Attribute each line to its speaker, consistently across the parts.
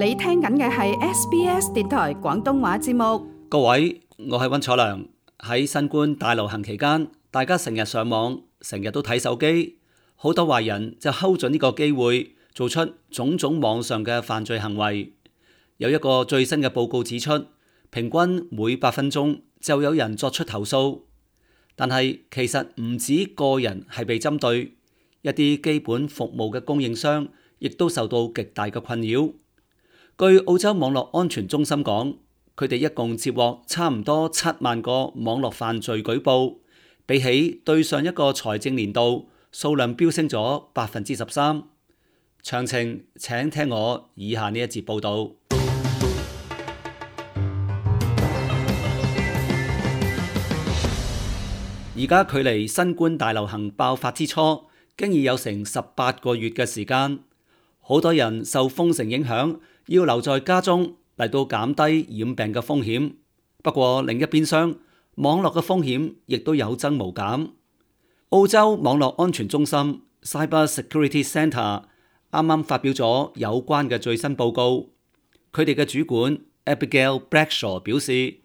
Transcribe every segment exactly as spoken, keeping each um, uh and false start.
Speaker 1: 你聽緊嘅係 S B S 電台廣東話節目。
Speaker 2: 各位，我係溫楚良。喺新冠大流行期間，大家成日上網，成日都睇手機，好多壞人就睺準呢個機會，做出種種網上嘅犯罪行為。有一個最新嘅報告指出，平均每八分鐘就有人作出投訴。但係其實唔止個人係被針對，一啲基本服務嘅供應商亦都受到極大嘅困擾。據澳洲網絡安全中心講，佢哋一共接獲差唔多七萬個網絡犯罪舉報，比起對上一個財政年度數量飆升咗百分之十三。詳情請聽我以下呢一節報導。而家距離新冠大流行爆發之初，經已有成十八個月嘅時間，好多人受封城影響，要留在家中嚟到減低染病嘅風險。不過另一邊廂，網絡嘅風險亦都有增無減。澳洲網絡安全中心 Cyber Security Centre 啱啱發表咗有關嘅最新報告。佢哋嘅主管 Abigail Bradshaw 表示，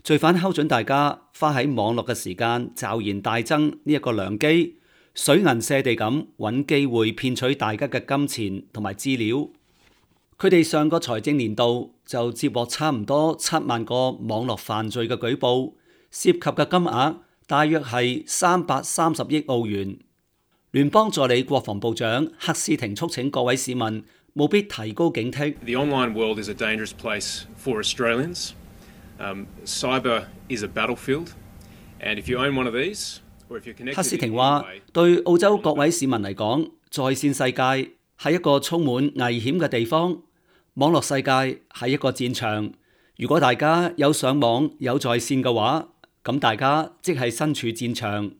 Speaker 2: 罪犯睺準大家花喺網絡嘅時間驟然大增呢一個良機，水銀瀉地咁揾機會騙取大家嘅金錢同埋資料。佢哋上個財政年度就接獲差唔多七萬個網絡犯罪嘅舉報，涉及嘅金額大約係三百三十億澳元。聯邦助理國防部長克斯廷促請各位市民務必提高警惕。
Speaker 3: The online world is a dangerous place for Australians. Um, cyber is a battlefield, and if you own one of these, or if you're connected,
Speaker 2: 克斯廷話：對澳洲各位市民嚟講，在線世界係一個充滿危險嘅地方，網絡世界係一個戰場。如果大家有上網有在線嘅話，咁大家即係身處戰場。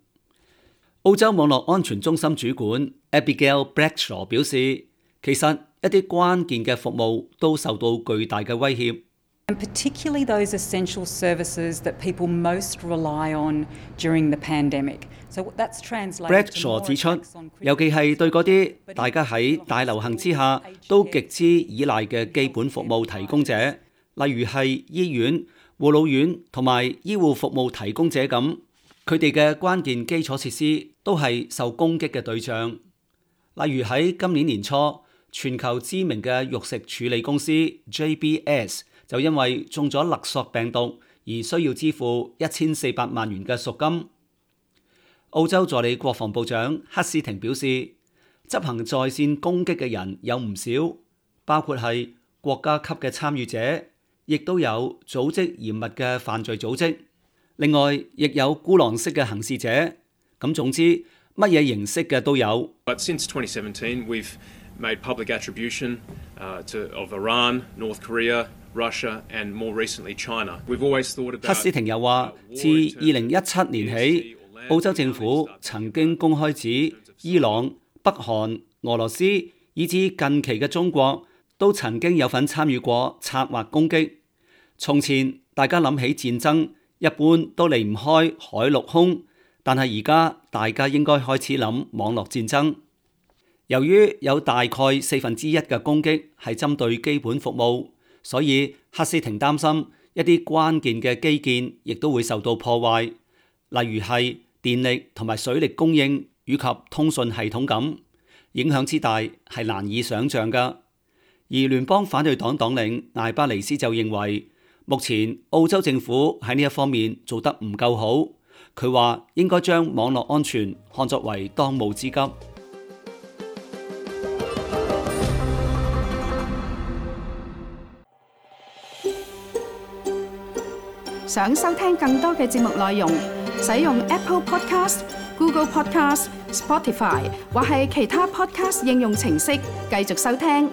Speaker 2: 澳洲網絡安全中心主管 Abigail Bradshaw 表示，其實一啲關鍵嘅服務都受到巨大嘅威脅。
Speaker 4: And particularly those essential services that people most rely on during the pandemic. So that's translated.
Speaker 2: Bradshaw 指出，尤其係對嗰啲大家喺大流行之下都極之依賴嘅基本服務提供者，例如係醫院、護老院同埋醫護服務提供者咁，佢哋嘅關鍵基礎設施都係受攻擊嘅對象。例如喺今年年初，全球知名嘅肉食處理公司 J B S就因為中咗勒索病毒而需要支付一千四百萬元嘅贖金。澳洲助理國防部長克斯廷表示，執行在線攻擊嘅人有唔少，包括係國家級嘅參與者，亦都有組織嚴密嘅犯罪組織，另外亦有孤狼式嘅行事者。咁總之，乜嘢形式嘅都有。
Speaker 3: But since twenty seventeen, we've made public attribution uh, to, of Iran, North Korea, Russia, and more recently China. We've always thought about.
Speaker 2: 克斯廷又話，自二零一七年起，澳洲政府曾經公開指伊朗、北韓、俄羅斯以至近期嘅中國都曾經有份參與過策劃攻擊。從前大家諗起戰爭，一般都離唔開海陸空，但係而家大家應該開始諗網絡戰爭。由於有大概四分之一嘅攻擊係針對基本服務，所以克斯廷擔心一啲關鍵嘅基建亦都會受到破壞，例如係電力同埋水力供應以及通訊系統咁，影響之大係難以想像㗎。而聯邦反對黨黨領艾巴尼斯就認為，目前澳洲政府喺呢一方面做得唔夠好。佢話應該將網絡安全看作為當務之急。
Speaker 1: 想收聽更多嘅節目內容，使用 Apple Podcast、Google Podcast、Spotify 或係其他 Podcast 應用程式繼續收聽。